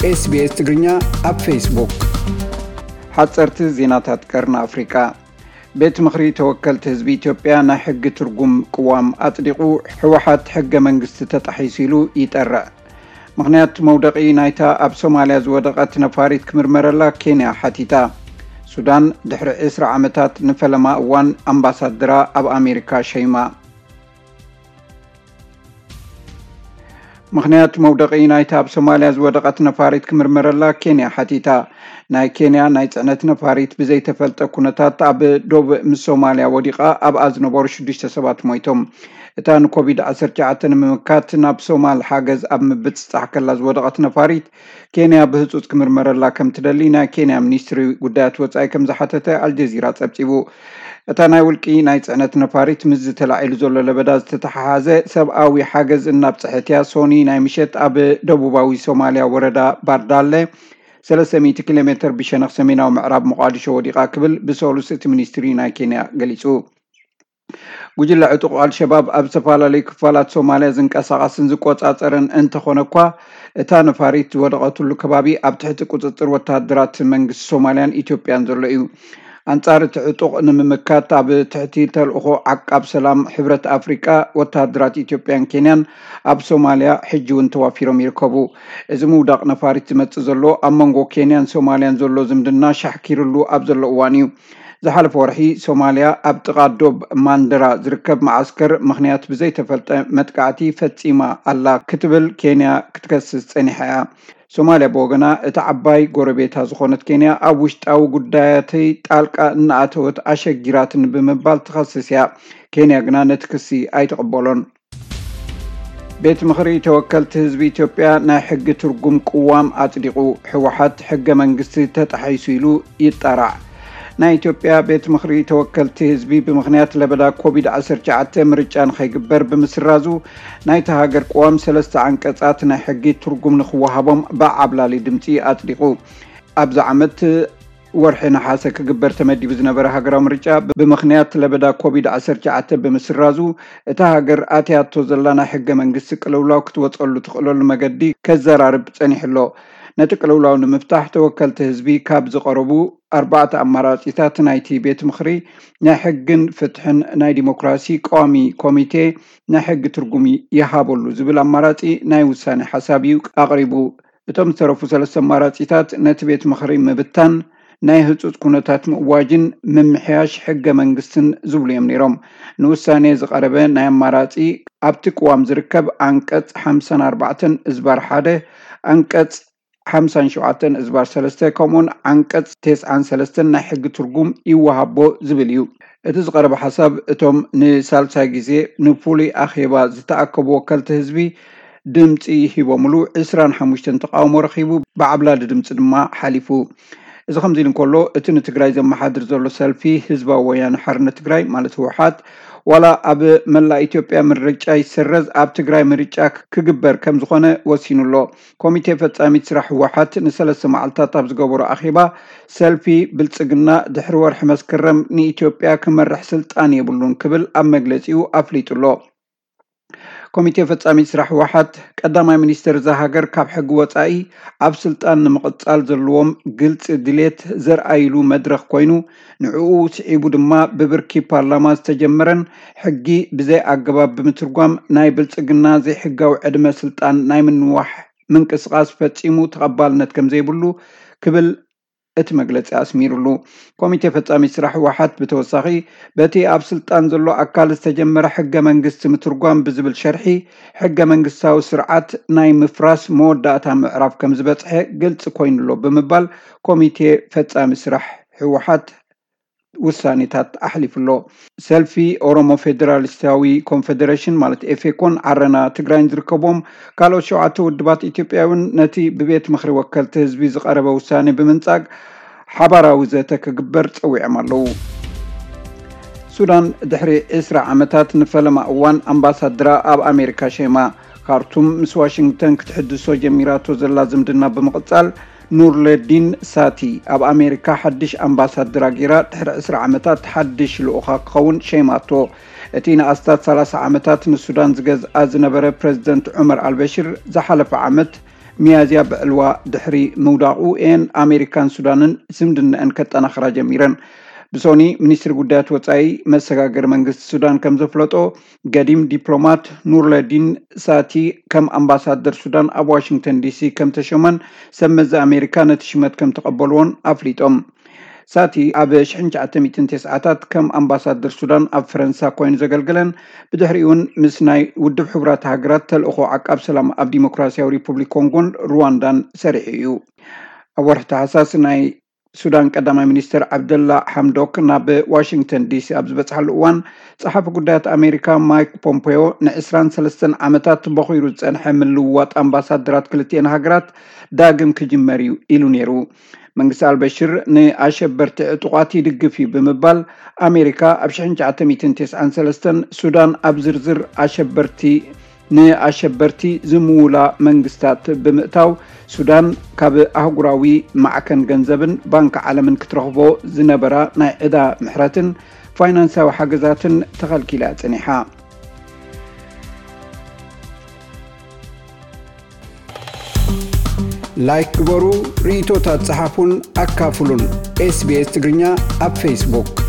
SBS ትግርኛ ኣብ ፌስቡክ። ሓጸርቲ ዜናታት ቀርኒ ኣፍሪቃ። ቤት ምኽሪ ተወከልቲ ህዝቢ ኢትዮጵያ ናይ ሕጊ ትርጉም ቅዋም ኣጽዲቑ፣ ህወሓት ሕገ መንግስቲ ተጣሒሱ ኢሉ ይጠርዕ። ምኽንያት መውደቒ ናይታ ኣብ ሶማልያ ዝወደቐት ነፋሪት ክምርመረላ ኬንያ ሓቲታ። ሱዳን ድሕሪ ዕስራ ዓመታት ንፈለማ እዋን ኣምባሳደራ ኣብ ኣሜሪካ ሸይማ። ምኽንያት መውደቒ ናይታ ኣብ ሶማልያ ዝወደቐት ነፋሪት ክምርመረላ ኬንያ ሓቲታ። ናይ ኬንያ ናይ ጽዕነት ነፋሪት ብዘይተፈልጠ ኩነታት ኣብ ዶብ ምስ ሶማልያ ወዲቓ ኣብኣ ዝነበሩ ሽዱሽተ ሰባት ሞይቶም። እታ ንኮቪድ ዓሰርተ ትሽዓተ ንምምካት ናብ ሶማል ሓገዝ ኣብ ምብጽጻሕ ከላ ዝወደቐት ነፋሪት ኬንያ ብህጹጽ ክምርመረላ ከም ትደሊ ናይ ኬንያ ሚኒስትሪ ጉዳያት ወጻኢ ከም ዝሓተተ ኣልጀዚራ ጸብጺቡ። እታ ናይ ውልቂ ናይ ጽዕነት ነፋሪት ምስዚ ተላዒሉ ዘሎ ለበዳ ዝተተሓሓዘ ሰብኣዊ ሓገዝ እናብጽሐት እያ ሶኒ ናይ ምሸት ኣብ ደቡባዊ ሶማልያ ወረዳ ባርዳለ ሰለስተ ሚእቲ ኪሎ ሜትር ብሸነኽ ሰሜናዊ ምዕራብ ሞቓዲሾ ወዲቓ ክብል ብሰሉስ እቲ ሚኒስትሪ ናይ ኬንያ ገሊጹ። ጉጅለ ዕጡቕ ኣልሸባብ ኣብ ዝተፈላለዩ ክፋላት ሶማልያ ዝንቀሳቐስን ዝቆጻጸርን እንተኾነ እኳ፣ እታ ነፋሪት ዝወደቐትሉ ከባቢ ኣብ ትሕቲ ቁጽጽር ወተሃደራት መንግስቲ ሶማልያን ኢትዮጵያን ዘሎ እዩ። ኣንጻር እቲ ዕጡቕ ንምምካት ኣብ ትሕቲ ተልእኾ ዓቃብ ሰላም ሕብረት ኣፍሪቃ ወተሃደራት ኢትዮጵያን ኬንያን ኣብ ሶማልያ ሕጂ እውን ተዋፊሮም ይርከቡ። እዚ ምውዳቕ ነፋሪት ዝመጽእ ዘሎ ኣብ መንጎ ኬንያን ሶማልያን ዘሎ ዝምድና ሻሕኪርሉ ኣብ ዘሎ እዋን እዩ። ዝሓለፈ ወርሒ ሶማልያ ኣብ ጥቓ ዶብ ማንደራ ዝርከብ መዓስከር ምኽንያት ብዘይተፈልጠ መጥቃዕቲ ፈጺማ ኣላ ክትብል ኬንያ ክትከስስ ጸኒሓ እያ። ሶማልያ ብወገና እታ ዓባይ ጎረቤታ ዝኾነት ኬንያ ኣብ ውሽጣዊ ጉዳያተይ ጣልቃ እናኣተወት ኣሸጊራትኒ ብምባል ትኸስስ እያ። ኬንያ ግና ነቲ ክሲ ኣይትቕበሎን። ቤት ምኽሪ ተወከልቲ ህዝቢ ኢትዮጵያ ናይ ሕጊ ትርጉም ቅዋም ኣጽዲቑ። ህወሓት ሕገ መንግስቲ ተጣሒሱ ኢሉ ይጠራዕ። ናይ ኢትዮጵያ ቤት ምኽሪ ተወከልቲ ህዝቢ ብምኽንያት ለበዳ ኮቪድ ዓሰርተ ትሽዓተ ምርጫ ንኸይግበር ብምስራዙ ናይታ ሃገር ቅዋም ሰለስተ ዓንቀጻት ናይ ሕጊ ትርጉም ንኽወሃቦም ብዓብላሊ ድምፂ ኣጽዲቑ። ኣብዚ ዓመት ወርሒ ነሓሰ ክግበር ተመዲቡ ዝነበረ ሃገራዊ ምርጫ ብምኽንያት ለበዳ ኮቪድ ዓሰርተ ትሽዓተ ብምስራዙ እታ ሃገር ኣትያቶ ዘላ ናይ ሕገ መንግስቲ ቅልውላው ክትወፀሉ ትኽእለሉ መገዲ ከዘራርብ ጸኒሑ ኣሎ። ነቲ ቅልውላው ንምፍታሕ ተወከልቲ ህዝቢ ካብ ዝቐረቡ ኣርባዕተ ኣማራጺታት ናይቲ ቤት ምኽሪ ናይ ሕግን ፍትሕን ናይ ዲሞክራሲ ቀዋሚ ኮሚቴ ናይ ሕጊ ትርጉም ይሃበሉ ዝብል ኣማራጺ ናይ ውሳኔ ሓሳብ እዩ ኣቕሪቡ። እቶም ዝተረፉ ሰለስተ ኣማራጺታት ነቲ ቤት ምኽሪ ምብታን፣ ናይ ህጹጽ ኩነታት ምእዋጅን ምምሕያሽ ሕገ መንግስትን ዝብሉ እዮም ነይሮም። ንውሳኔ ዝቐረበ ናይ ኣማራጺ ኣብቲ ቅዋም ዝርከብ ኣንቀጽ ሓምሳን ኣርባዕተን እዝባር ሓደ፣ ኣንቀጽ ሓምሳን ሸውዓተን እዝባር ሰለስተ ከምኡውን ዓንቀጽ ተስዓን ሰለስተን ናይ ሕጊ ትርጉም ይወሃቦ ዝብል እዩ። እቲ ዝቐረበ ሓሳብ እቶም ንሳልሳይ ግዜ ንፍሉይ ኣኼባ ዝተኣከቡ ወከልቲ ህዝቢ ድምፂ ሂቦምሉ ዕስራን ሓሙሽተን ተቃውሞ ረኺቡ ብዓብላሊ ድምፂ ድማ ሓሊፉ። እዚ ከምዚ ኢሉ እንከሎ እቲ ንትግራይ ዘመሓድር ዘሎ ሰልፊ ህዝባዊ ወያነ ሓርነት ትግራይ ማለት ህወሓት ዋላ ኣብ መላእ ኢትዮጵያ ምርጫ ይሰረዝ ኣብ ትግራይ ምርጫ ክግበር ከም ዝኾነ ወሲኑ ኣሎ። ኮሚቴ ፈጻሚት ስራሕ ህወሓት ንሰለስተ መዓልታት ኣብ ዝገበሮ ኣኼባ ሰልፊ ብልጽግና ድሕሪ ወርሒ መስከረም ንኢትዮጵያ ክመርሕ ስልጣን የብሉን ክብል ኣብ መግለጺኡ ኣፍሊጡ ኣሎ። ኮሚቴ ፈጻሚት ስራሕ ህወሓት ቀዳማይ ሚኒስትር እዛ ሃገር ካብ ሕጊ ወጻኢ ኣብ ስልጣን ንምቕጻል ዘለዎም ግልጺ ድሌት ዘርኣይሉ መድረኽ ኮይኑ ንዕኡ ስዒቡ ድማ ብብርኪ ፓርላማ ዝተጀመረን ሕጊ ብዘይ ኣገባብ ብምትርጓም ናይ ብልጽግና ዘይሕጋዊ ዕድመ ስልጣን ናይ ምንዋሕ ምንቅስቃስ ፈጺሙ ተቐባልነት ከም ዘይብሉ ክብል እቲ መግለጺ ኣስሚሩሉ። ኮሚቴ ፈጻሚ ስራሕ ህወሓት ብተወሳኺ በቲ ኣብ ስልጣን ዘሎ ኣካል ዝተጀመረ ሕገ መንግስቲ ምትርጓም ብዝብል ሸርሒ ሕገ መንግስታዊ ስርዓት ናይ ምፍራስ መወዳእታ ምዕራፍ ከም ዝበጽሐ ግልጺ ኮይኑሎ ብምባል ኮሚቴ ፈጻሚ ስራሕ ህወሓት ውሳኔታት ኣሕሊፉ ኣሎ። ሰልፊ ኦሮሞ ፌዴራሊስታዊ ኮንፌዴሬሽን ማለት ኤፌኮን ዓረና ትግራይን ዝርከቦም ካልኦት ሸውዓተ ውድባት ኢትዮጵያ እውን ነቲ ብቤት ምኽሪ ወከልቲ ህዝቢ ዝቐረበ ውሳኔ ብምንጻግ ሓባራዊ ዘተ ክግበር ጸዊዖም ኣለዉ። ሱዳን ድሕሪ ዕስራ ዓመታት ንፈለማ እዋን ኣምባሳድራ ኣብ ኣሜሪካ ሸይማ። ካርቱም ምስ ዋሽንግተን ክትሕድሶ ጀሚራቶ ዘላ ዝምድና ብምቕጻል ኑርለዲን ሳቲ ኣብ ኣሜሪካ ሓድሽ ኣምባሳድራ ጌራ ድሕሪ ዕስራ ዓመታት ሓድሽ ልኡኻ ክኸውን ሸይማቶ። እቲ ንኣስታት ሰላሳ ዓመታት ንሱዳን ዝገዝኣ ዝነበረ ፕረዚደንት ዑመር ኣልበሽር ዝሓለፈ ዓመት ሚያዝያ ብዕልዋ ድሕሪ ምውዳቑ እየን ኣሜሪካን ሱዳንን ዝምድናኣን ከጠናኽራ ጀሚረን። ብሶኒ፣ ሚኒስትሪ ጉዳያት ወጻኢ መሰጋገሪ መንግስቲ ሱዳን ከም ዘፍለጦ፣ ገዲም ዲፕሎማት ኑርለዲን ሳቲ ከም ኣምባሳደር ሱዳን ኣብ ዋሽንግተን ዲሲ ከም ተሾመን ሰብ መዚ ኣሜሪካ ነቲ ሽመት ከም ተቐበልዎን ኣፍሊጦም። ሳቲ ኣብ ሽሕን ትሽዓተ ሚእትን ተስዓታት ከም ኣምባሳደር ሱዳን ኣብ ፈረንሳ ኮይኑ ዘገልገለን፣ ብድሕሪኡ እውን ምስ ናይ ውድብ ሕቡራት ሃገራት ተልእኾ ዓቃብ ሰላም ኣብ ዲሞክራሲያዊ ሪፑብሊክ ኮንጎን ሩዋንዳን ሰሪሑ እዩ። ኣብ ወርሒ ታሕሳስ ናይ ሱዳን ቀዳማይ ሚኒስትር ዓብደላ ሓምዶክ ናብ ዋሽንግተን ዲሲ ኣብ ዝበፅሓሉ እዋን፣ ጸሓፊ ጉዳያት ኣሜሪካ ማይክ ፖምፔዮ፣ ንዕስራን ሰለስተን ዓመታት በኺሩ ዝጸንሐ ምልውዋጥ ኣምባሳደራት ክልቲኤን ሃገራት ዳግም ክጅመር እዩ ኢሉ ነይሩ። መንግስቲ ኣልበሽር ንኣሸበርቲ ዕጡቓት ይድግፍ እዩ ብምባል፣ ኣሜሪካ ኣብ ሽሕን ትሽዓተ ሚእትን ተስዓን ሰለስተን ሱዳን ኣብ ዝርዝር ኣሸበርቲ ንኣሸበርቲ ዝምውላ መንግስታት ብምእታው፣ ሱዳን ካብ ኣህጉራዊ ማዕከን ገንዘብን ባንክ ዓለምን ክትረኽቦ ዝነበራ ናይ ዕዳ ምሕረትን ፋይናንሳዊ ሓገዛትን ተኸልኪላ ጽኒሓ። ላይክ ግበሩ፣ ርእይቶታት ጸሓፉን ኣካፍሉን። ኤስቢኤስ ትግርኛ ኣብ ፌስቡክ።